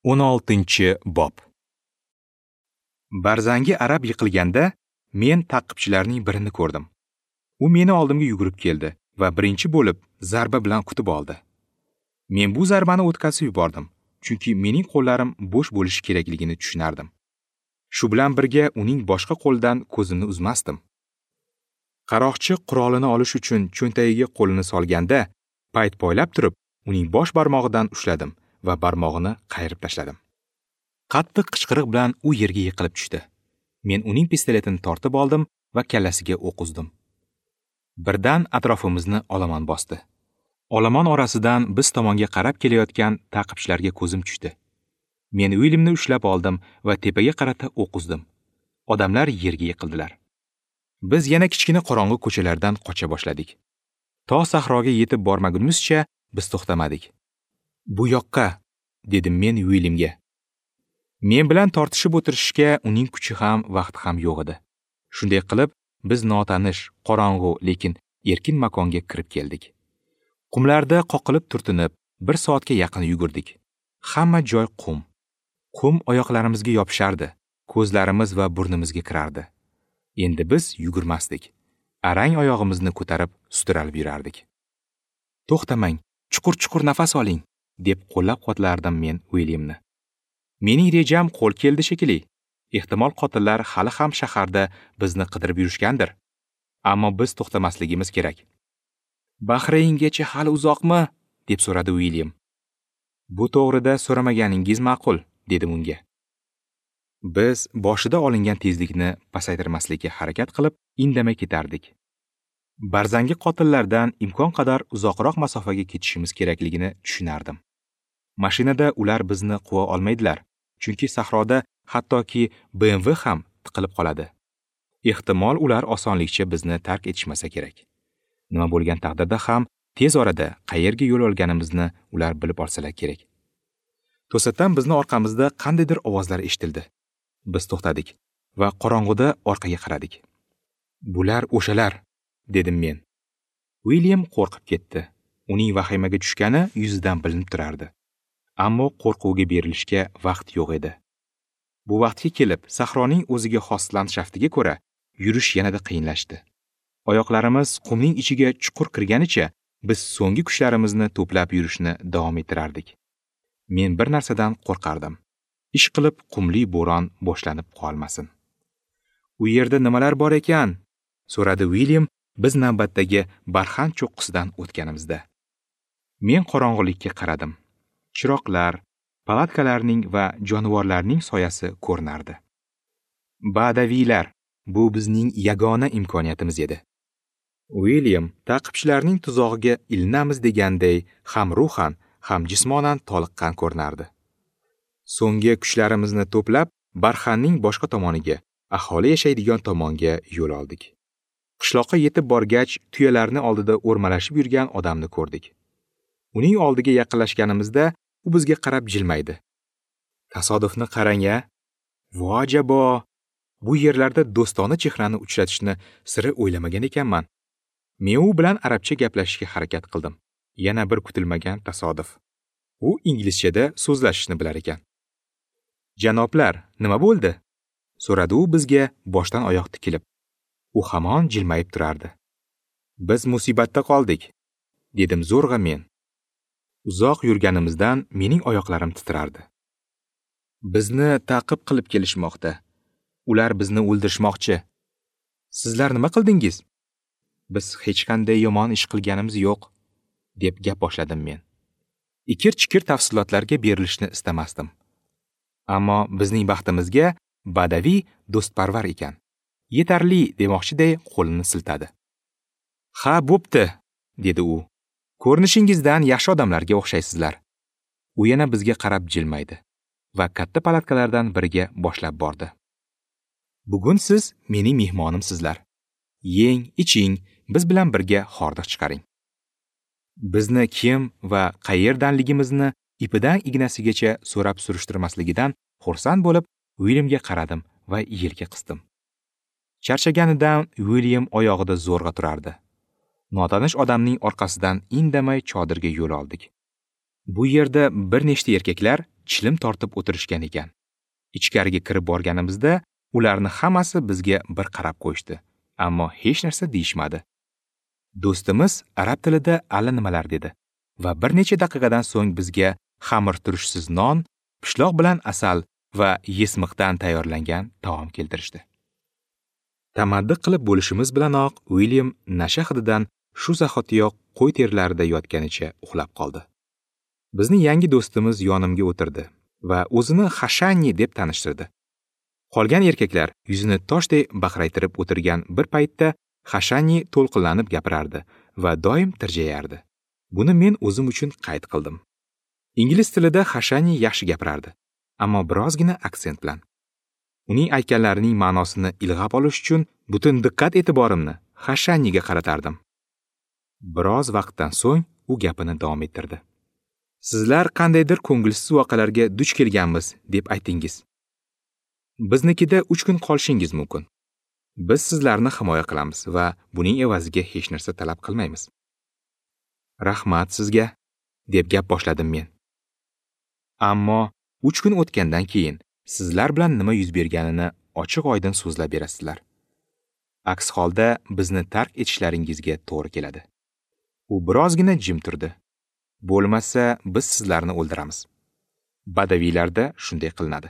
16-bob. Barzangi arab yiqilganda men ta'qibchilarning birini ko'rdim. U meni oldimga yugurib keldi va birinchi bo'lib zarba bilan kutib oldi. Men bu zarbani o'tkazib yubordim, chunki mening qo'llarim bo'sh bo'lishi kerakligini tushunardim. Shu bilan birga uning boshqa qo'lidan ko'zimni uzmasdim. Qaroqchi qurolini olish uchun cho'ntagiga qo'lini solganda, payt poylab turib, uning bosh barmog'idan ushladim va barmog'ini qayirib tashladim. Qattiq qichqiriq bilan u yerga yiqilib tushdi. Men uning pistoletini tortib oldim va kallasiga o'q uzdim. Birdan atrofimizni olomon bosdi. Olomon orasidan biz tomonga qarab kelayotgan ta'qibchilarga ko'zim tushdi. Men Uilyamni ushlab oldim va tepaga qarata o'q uzdim. Odamlar yerga yiqildilar. Biz yana kichkina qorong'i ko'chalardan qocha boshladik. To sahroga yetib bormagunimizcha biz to'xtamadik. "Bu yoqqa", dedim men Uilyamga. Men bilan tortishib o'tirishga uning kuchi ham, vaqti ham yo'q edi. Shunday qilib, biz notanish, qorong'u, lekin erkin makonga kirib keldik. Qumlarda qoqilib turtinib, 1 soatga yaqin yugurdik. Hamma joy qum. Qum oyoqlarimizga yopishardi, ko'zlarimiz va burnimizga kirardi. Endi biz yugurmasdik. Arang oyog'imizni ko'tarib sudralib yurardik. "To'xtamang, chuqur-chuqur nafas oling", deb qo'llab-quvvatlardim men Uilyamni. Mening rejam qo'l keldi shekilli. Ehtimol qotillar hali ham shaharda bizni qidirib yurishgandir. Ammo biz to'xtamasligimiz kerak. "Bahrayngacha hali uzoqmi?" deb so'radi Uilyam. "Bu to'g'rida so'ramaganingiz ma'qul", dedim unga. Biz boshida olingan tezlikni pasaytirmaslikka harakat qilib, indamay ketardik. Barzangi qotillardan imkon qadar uzoqroq masofaga ketishimiz kerakligini tushunardim. Mashinada ular bizni quva olmaydilar, chunki sahroda hattoki BMW ham tiqilib qoladi. Ehtimol ular osonlikcha bizni tark etishmasa kerak. Nima bo'lgan taqdirda ham tez orada qayerga yo'l olganimizni ular bilib olsalar kerak. To'satdan bizni orqamizda qandaydir ovozlar eshitildi. Biz to'xtadik va qorong'uda orqaga qaradik. "Bular o'shalar", dedim men. Uilyam qo'rqib ketdi. Uning vahimaga tushgani yuzidan bilinib turardi. Ammo qo'rquvga berilishga vaqt yo'q edi. Bu vaqtga kelib sahroning o'ziga xos landshaftiga ko'ra yurish yanada qiyinlashdi. Oyoqlarimiz qumning ichiga chuqur kirganicha biz so'nggi kuchlarimizni to'plab yurishni davom ettirardik. Men bir narsadan qo'rqardim. Ish qilib qumli bo'ron boshlanib qolmasin. "U yerda nimalar bor ekan?" so'radi Uilyam biz navbatdagi barxan cho'qqisidan o'tganimizda. Men qorong'ulikka qaradim. Chiroqlar, palatkalarning va jonivorlarning soyasi ko'rinardi. Badaviylar, bu bizning yagona imkoniyatimiz edi. Uilyam ta'qibchilarning tuzog'iga ilinamiz deganday ham ruhan, ham jismonan toliqqan ko'rinardi. So'nggi kuchlarimizni to'plab, barxanning boshqa tomoniga, aholi yashaydigan tomonga yo'l oldik. Qishloqqa yetib borgach, tuyalarni oldida o'rmalashib yurgan odamni ko'rdik. Uning oldiga yaqinlashganimizda u bizga qarab jilmaydi. Tasodifni qarang-a! Vo jabo! Bu yerlarda do'stona chehrani uchratishni sira o'ylamagan ekanman. Men u bilan arabcha gaplashishga harakat qildim. Yana bir kutilmagan tasodif. U inglizchada so'zlashishni bilar ekan. "Janoblar, nima bo'ldi?" so'radi u bizga boshdan oyoq tikilib. U hamon jilmayib turardi. "Biz musibatda qoldik", dedim zo'rg'a men. Uzoq yurganimizdan mening oyoqlarim titrardi. "Bizni ta'qib qilib kelishmoqda. Ular bizni o'ldirishmoqchi. Sizlar nima qildingiz?" "Biz hech qanday yomon ish qilganimiz yo'q", deb gap boshladim men. Ikir-chikir tafsilotlarga berilishni istamasdim. Ammo bizning baxtimizga badaviy do'stparvar ekan. Yetarli demoqchiday qo'lini siltadi. "Ha, bo'pti", dedi u. "Ko'rinishingizdan yaxshi odamlarga o'xshaysizlar." U yana bizga qarab jilmaydi va katta palatkalardan biriga boshlab bordi. "Bugun siz mening mehmonimsizlar. Yeng, iching, biz bilan birga hordiq chiqaring." Bizni kim va qayerdanligimizni ipidan ignasigacha so'rab surishtirmasligidan xursand bo'lib, Uilyamga qaradim va yelka qisdim. Charchaganidan Uilyam oyog'ida zo'rg'a turardi. Notanish odamning orqasidan indamay chodirga yo'l oldik. Bu yerda bir nechta erkaklar chilim tortib o'tirishgan ekan. Ichkariga kirib borganimizda ularni hammasi bizga bir qarab qo'yishdi, ammo hech narsa deyishmadi. Do'stimiz arab tilida allanimalar dedi va bir necha daqiqadan so'ng bizga xamir turishsiz non, pishloq bilan asal va yesmiqdan tayyorlangan taom keltirishdi. Tamaddi qilib bo'lishimiz bilanoq Uilyam nasha hididan shu zahotiyoq qo'y terilarida yotganicha uxlab qoldi. Bizni yangi do'stimiz yonimga o'tirdi va o'zini Hashanni deb tanishtirdi. Qolgan erkaklar yuzini toshday baqraytirib o'tirgan bir paytda Hashanni to'lqinlanib gapirardi va doim tirjayardi. Buni men o'zim uchun qayd qildim. Ingliz tilida Hashanni yaxshi gapirardi, ammo birozgina aksent bilan. Uning aytganlarining ma'nosini ilg'ab olish uchun butun diqqat-e'tiborimni Hashanniga qaratardim. Biroz vaqtdan so'ng u gapini davom ettirdi. Sizlar qandaydir ko'ngilsiz voqealarga duch kelganmiz deb aytingiz. Biznikida 3 kun qolishingiz mumkin. Biz sizlarni himoya qilamiz va buning evaziga hech narsa talab qilmaymiz. Rahmat sizga, deb gap boshladim men. Ammo 3 kun o'tgandan keyin sizlar bilan nima yuz berganini ochiq-oydin so'zlab berasizlar. Aks holda bizni tark etishlaringizga to'g'ri keladi. U birozgina jim turdi. Bo'lmasa biz sizlarni o'ldiramiz. Badaviylarda shunday qilinadi.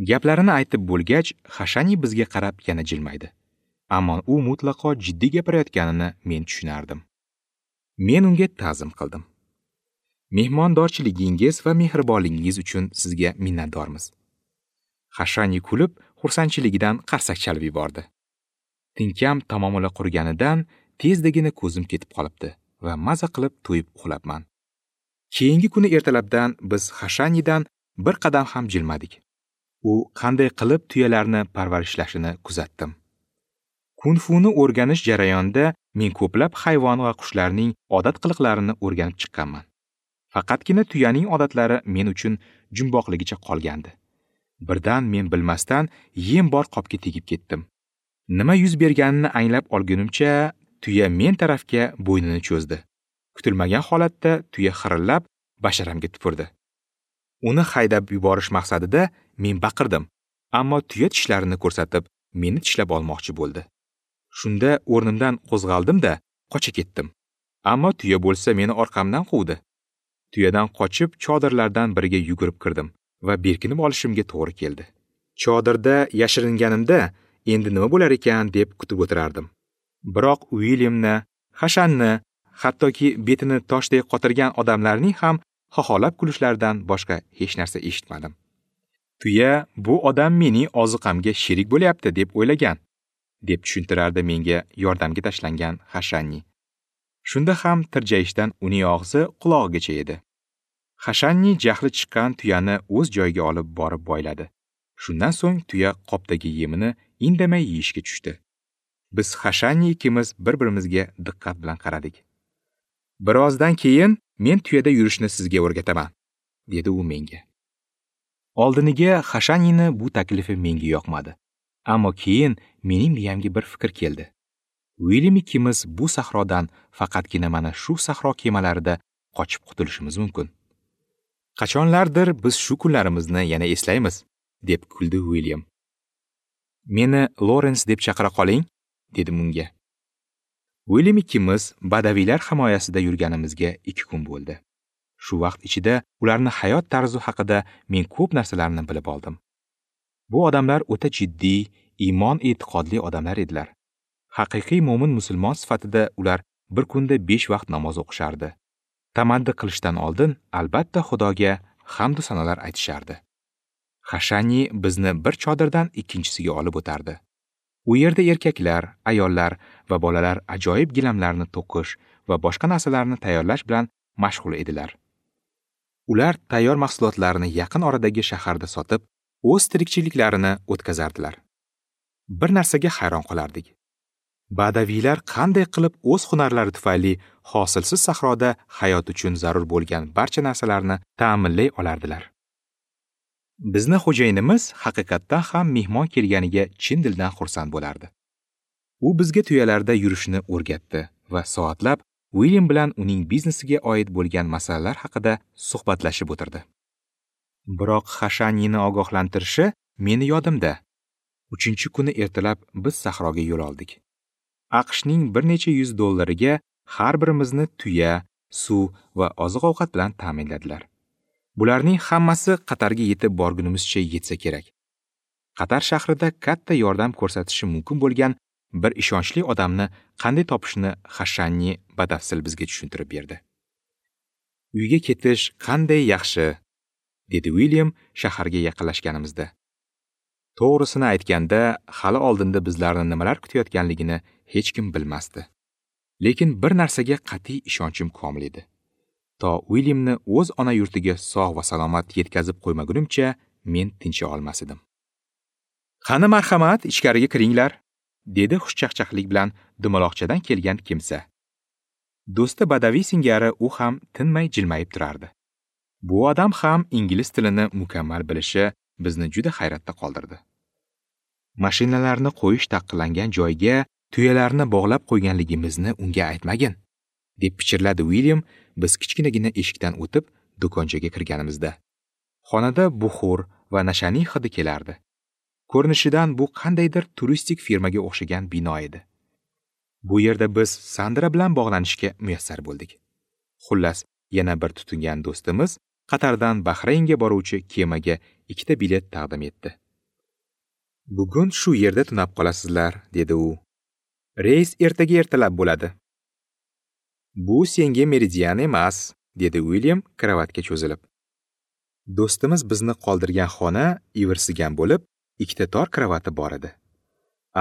Gaplarini aytib bo'lgach, Hashani bizga qarab yana jilmaydi. Ammo u mutlaqo jiddiy gapirayotganini men tushunardim. Men unga ta'zim qildim. Mehmondorchiligingiz va mehribonligingiz uchun sizga minnatdormiz. Hashani kulib, xursandchiligidan qarsak chalib yubordi. Tinkam tamomila quriganidan tezdagina ko'zim ketib qolibdi va maza qilib to'yib uxlabman. Keyingi kuni ertalabdan biz Hashanidan bir qadam ham jilmadik. U qanday qilib tuyalarni parvarishlashini kuzatdim. Kung-funi o'rganish jarayonida men ko'plab hayvon va qushlarning odat qiliqlarini o'rganib chiqqanman. Faqatgina tuyaning odatlari men uchun jumboqligicha qolgandi. Birdan men bilmasdan yem bor qopga tegib ketdim. Nima yuz berganini anglab olgunimcha tuya men tarafga bo'ynini cho'zdi. Kutilmagan holatda tuya xirillab basharamga tupurdi. Uni haydab yuborish maqsadida men baqirdim, ammo tuya tishlarini ko'rsatib meni tishlab olmoqchi bo'ldi. Shunda o'rnimdan qo'zg'aldim-da, qocha ketdim. Ammo tuya bo'lsa meni orqamdan quvdi. Tuyadan qochib chodirlardan biriga yugurib kirdim va berkinib olishimga to'g'ri keldi. Chodirda yashiringanimda endi nima bo'lar ekan deb kutib o'tirardim. Biroq Uilyamni, Hashanni, hattoki betini toshday qotirgan odamlarning ham xoholab kulishlaridan boshqa hech narsa eshitmadim. Tuya bu odam mening oziqamga sherik bo'lyapti deb o'ylagan, deb tushuntirardi menga yordamga tashlangan Hashanni. Shunda ham tirjayishdan uning og'zi qulog'igacha edi. Hashanni jahli chiqqan tuyani o'z joyiga olib borib boyladi. Shundan so'ng tuya qopdagi yemini indamay yeyishga tushdi. Biz Hashanni ikimiz bir-birimizga diqqat bilan qaradik. Birozdan keyin men tuyada yurishni sizga o'rgataman, dedi u menga. Oldiniga Hashanini bu taklifi menga yoqmadi. Ammo keyin mening miyamga bir fikr keldi. Uilyam ikimiz bu sahrodan faqatgina mana shu sahro kemalarida qochib qutulishimiz mumkin. Qachonlardir biz shu kunlarimizni yana eslaymiz, deb kuldi Uilyam. Meni Lorens deb chaqira qoling, dedim unga. Uilyam ikimiz badaviylar himoyasida yurganimizga 2 kun bo'ldi. Shu vaqt ichida ularning hayot tarzi haqida men ko'p narsalarni bilib oldim. Bu odamlar o'ta jiddiy, iymon-e'tiqodli odamlar edilar. Haqiqiy mo'min musulmon sifatida ular bir kunda 5 vaqt namoz o'qishardi. Tamaddi qilishdan oldin albatta Xudoga hamd va sanolar aytishardi. Hashani bizni bir chodirdan ikkinchisiga olib o'tardi. U yerda erkaklar, ayollar va bolalar ajoyib gilamlarni to'qish va boshqa narsalarni tayyorlash bilan mashg'ul edilar. Ular tayyor mahsulotlarni yaqin oradagi shaharda sotib, o'z tirikchiliklarini o'tkazardilar. Bir narsaga hayron qolardik. Badaviylar qanday qilib o'z hunarlari tufayli hosilsiz sahroda hayot uchun zarur bo'lgan barcha narsalarni ta'minlay olardilar. Bizni xo'jayinimiz haqiqatdan ham mehmon kelganiga chin dildan xursand bo'lardi. U bizga tuyalarda yurishni o'rgatdi va soatlab Uilyam bilan uning biznesiga oid bo'lgan masalalar haqida suhbatlashib o'tirdi. Biroq Hashanini ogohlantirishi meni yodimda. 3-kuni ertalab biz sahroga yo'l oldik. AQShning bir necha yuz dollariga har birimizni tuya, suv va oziq-ovqat bilan ta'minladilar. Bularning hammasi Qatarga yetib borgunimizcha yetsa kerak. Qatar shahrida katta yordam ko'rsatishi mumkin bo'lgan bir ishonchli odamni qanday topishni Hashanni batafsil bizga tushuntirib berdi. Uyga ketish qanday yaxshi, dedi William shaharga yaqinlashganimizda. To'g'risini aytganda, hali oldinda bizlarni nimalar kutayotganligini hech kim bilmasdi. Lekin bir narsaga qat'iy ishonchim komil edi. To Williamni o'z ona yurtiga sog' va salomat yetkazib qo'ymagunimcha men tincha olmas edim. Qani marhamat, ichkariga kiringlar, dedi xushchaqchaqlik bilan dumaloqchadan kelgan kimsa. Do'sti badaviy singari u ham tinmay jilmayib turardi. Bu odam ham ingliz tilini mukammal bilishi bizni juda hayratda qoldirdi. Mashinalarni qo'yish taqiqlangan joyga tuyalarni bog'lab qo'yganligimizni unga aytmagin, deb pichirladi William biz kichkinagina eshikdan o'tib do'konchaga kirganimizda. Xonada buxur va nashaning hidi kelardi. Ko'rinishidan bu qandaydir turistik firmaga o'xshagan bino edi. Bu yerda biz Sandra bilan bog'lanishga muyassar bo'ldik. Xullas, yana bir tutingan do'stimiz Qatardan Bahraynga boruvchi kemaga 2 ta bilet taqdim etdi. Bugun shu yerda tunab qolasizlar, dedi u. Reys ertaga ertalab bo'ladi. Bu senga meridian emas, dedi William kravatga cho'zilib. Do'stimiz bizni qoldirgan xona ivirsigan bo'lib, 2 ta tor kravati bor edi.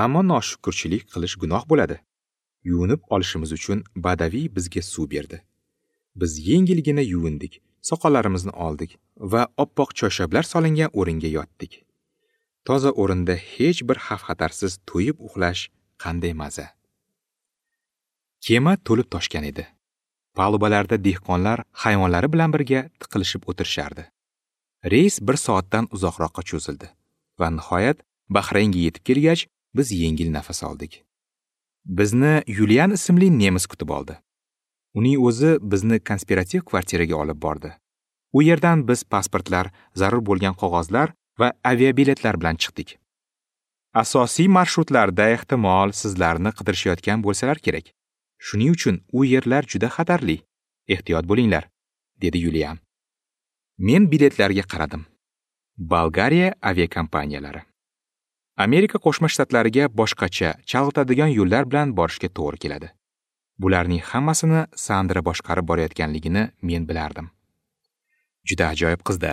Ammo noshukurchilik qilish gunoh bo'ladi. Yuvinib olishimiz uchun badaviy bizga suv berdi. Biz yengilgina yuvindik, soqollarimizni oldik va oppoq choyshablar solingan o'ringa yotdik. Toza o'rinda hech bir xavf-xatarsiz to'yib uxlash qanday maza. Kema to'lib toshgan edi. Palubalarda dehqonlar hayvonlari bilan birga tiqilishib o'tirishardi. Reys 1 soatdan uzoqroqqa cho'zildi va nihoyat Bahraynga yetib kelgach, biz yengil nafas oldik. Bizni Yulian ismli nemis kutib oldi. Uning o'zi bizni konspirativ kvartiraga olib bordi. U yerdan biz pasportlar, zarur bo'lgan qog'ozlar va aviabiletlar bilan chiqdik. Asosiy marshrutlarda ehtimol sizlarni qidirishayotgan bo'lsalar kerak. Shuning uchun u yerlar juda xatarli. Ehtiyot bo'linglar, dedi Yulian. Men biletlarga qaradim. Bolgariya aviakompaniyalari. Amerika Qo'shma Shtatlariga boshqacha, chalg'itadigan yo'llar bilan borishga to'g'ri keladi. Bularning hammasini Sandra boshqarib borayotganligini men bilardim. Juda ajoyib qizda.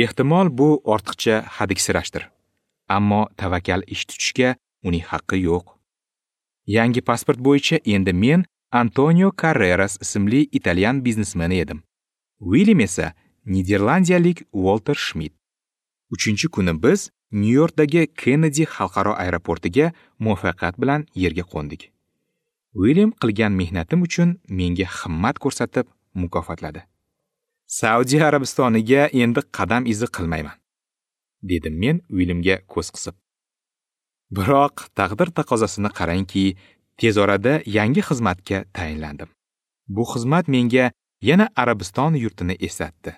Ehtimol bu ortiqcha hadiksirashdir. Ammo tavakkal ish tutishga uning haqqi yo'q. Yangi pasport bo'yicha endi men Antonio Carreras ismli italyan biznesmeni edim. William esa niderlandiyalik Walter Schmidt. 3-kuni biz Nyu-Yorkdagi Kennedy xalqaro aeroportiga muvaffaqiyat bilan yerga qo'ndik. William qilgan mehnatim uchun menga himmat ko'rsatib mukofotladi. Saudiya Arabistoniga endi qadam izi qilmayman, dedim men Williamga ko'z qisib. Biroq taqdir taqozosini qarangki, tez orada yangi xizmatga tayinlandim. Bu xizmat menga yana Arabiston yurtini eslatdi.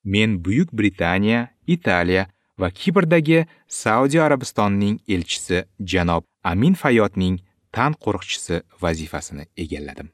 Men Buyuk Britaniya, Italiya va Kiprdagi Saudiya Arabistonining elchisi janob Amin Fayotning tan qo'riqchisi vazifasini egalladim.